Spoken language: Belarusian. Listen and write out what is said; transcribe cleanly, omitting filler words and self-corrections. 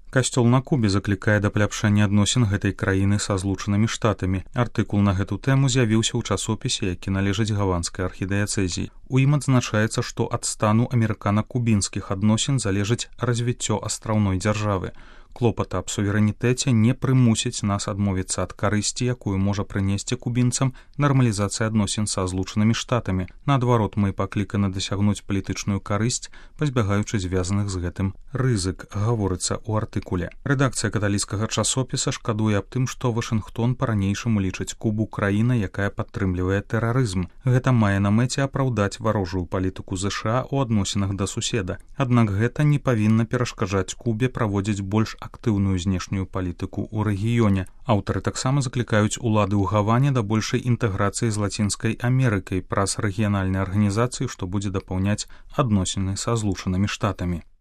Касцёл на Кубе заклікае да паляпшэння адносін гэтай краіны са Злучанымі Штатамі. Артыкул на гэту тэму з'явіўся ў часопісе, які належыць гаванскай архідыяцэзіі. У ім адзначаецца, што ад стану амерыкана-кубінскіх адносін залежыць развіццё астраўной дзяржавы. Клопата аб суверэнітэце не прымусіць нас адмовіцца ад карысці, якую можа прынесці кубінцам нармалізацыя адносін са Злучанымі Штатамі. Наадварот, мы пакліканы дасягнуць палітычную карысць, пазбягаючы звязаных з гэтым рызык, гаворыцца ў артыкуле. Рэдакцыя каталіцкага часопіса шкадуе аб тым, што Вашынгтон па-ранейшаму лічыць Кубу краінай, якая падтрымлівае тэрарызм. Гэта мае на мэце апраўдаць варожую палітыку ЗША ў адносінах да суседа. Аднак гэта не павінна перашкаджаць Кубе праводзіць больш актыўную знешнюю палітыку ў рэгіёне. Аўтары таксама заклікаюць улады ў Гаване да большай інтэграцыі з Лацінскай Амерыкай праз рэгіянальныя арганізацыі, што будзе дапаўняць адносіны са Злучанымі Штатамі.